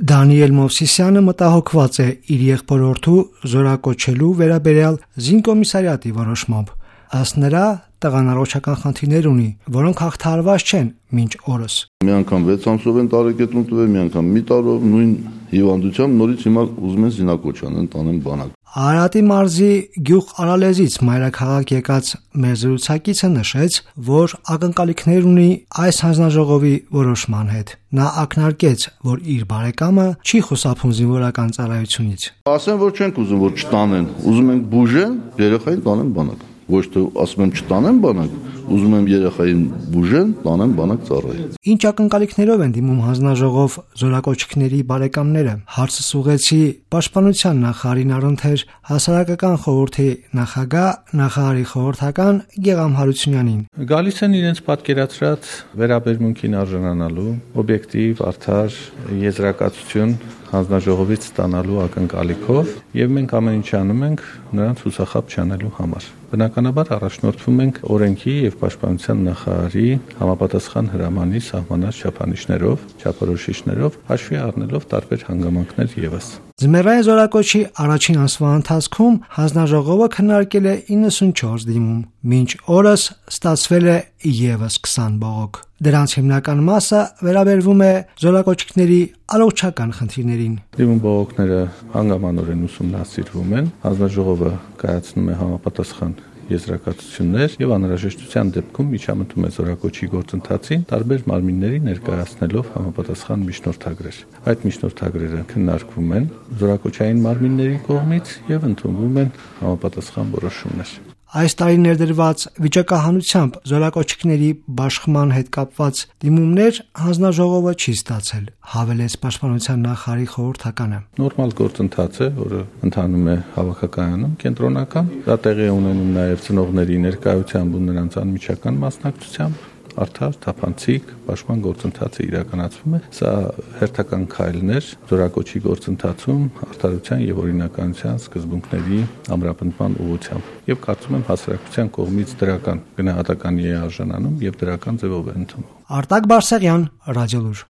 Դանիել Մովսիսյանը մտահոգված է իր եղբորորդու զորակոչելու վերաբերյալ զինկոմիսարիատի որոշմամբ։ Ըստ նրա, տղան առողջական խնդիրներ ունի, որոնք հաղթահարված չեն մինչ օրս։ Մի անգամ 6 ամսով են տարեկետրում տվել, մի անգամ մի տարով նույն հիվանդությամբ նորից հիմա ուզում են զինակոչ անեն, տանեն բանակ։ Արարատի մարզի գյուղ Արալեզից մայրաքաղաք եկած մեր զրուցակիցը նշեց, որ ակնկալիքներ ունի այս հանձնաժողովի որոշման հետ։ Նա ակնարկեց, որ իր բարեկամը չի խուսափում զինվորական ծառայությունից։ Ասեն, որ չենք ուզում, որ չտանեն, ուզում ենք բուժեն, երեխային տանեն բանակ։ Ոչ թե ասում եմ չտանեն բանակ, ուզում եմ երեխային բուժեն, տանեն բանակ ծառայի։ Ինչ ակնկալիքներով են դիմում հանձնաժողով զորակոչիկների բարեկամները։ Հարցս ուղղեցի Պաշտպանության նախարարին առընթեր հասարակական խորհրդի նախագահ, նախարարի խորհրդական Գեգամ Հարությունյանին։ Գալիս են իրենց պատկերացրած վերաբերմունքին արժանանալու, օբյեկտիվ, արդար եզրակացություն հանձնաժողովից ստանալու ակնկալիքով, եւ մենք ամեն ինչ անում ենք նրանց հուսախաբ չանելու համար։ Բնականաբար առաջնորդվում ենք օրենքի եւ պաշտպանության նախարարի համապատասխան հրամանի սահմանած չափանիշներով, չափորոշիչներով, հաշվի առնելով տարբեր հանգամանքներ եւս։ Ձմեռային զորակոչի առաջին ամսվա ընթացքում հանձնաժողովը քննարկել է 94 դիմում, մինչ օրս ստացվել է եւս 20 բողոք։ Դրանց հիմնական մասը վերաբերվում է զորակոչիկների առողջական խնդիրներին։ Դիմում բողոքները հանգամանորեն ուսումնասիրվում են, հանձնաժողովը կայացնում է համապատասխան եզրակացություններ եւ անհրաժեշտության դեպքում միջամտում է զորակոչի գործընթացին տարբեր մարմինների ներկայացնելով համապատասխան միջնորդագրեր։ Այդ միջնորդագրերը քննարկվում են զորակոչային մարմինների կողմից եւ ընդունվում են համապատասխան որոշումներ։ Այս տարի ներդրված վիճակահանությամբ զորակոչիկների բաշխման հետ կապված դիմումներ հանձնաժողովը չի ստացել, հավելեց Պաշտպանության նախարարի խորհրդականը։ Նորմալ գործընթաց է, որը ընթանում է հավաքակայանում կենտրոնական, դա տեղի է ունենում նաև ծնողների ներկայությամբ ու նրանց անմիջական մասնակցությամբ։ Արդար, թափանցիկ, պաշտպան գործընթացը իրականացվում է։ Սա հերթական քայլներ զորակոչի գործընթացում արդարության եւ օրինականության սկզբունքների ամրապնդման ուղղությամբ։ Եվ կարծում եմ հասարակության կողմից դրական գնահատականի է արժանանում եւ դրական ձևով է ընդունվում։ Արտակ Բարսեղյան, Ռադիոլուր։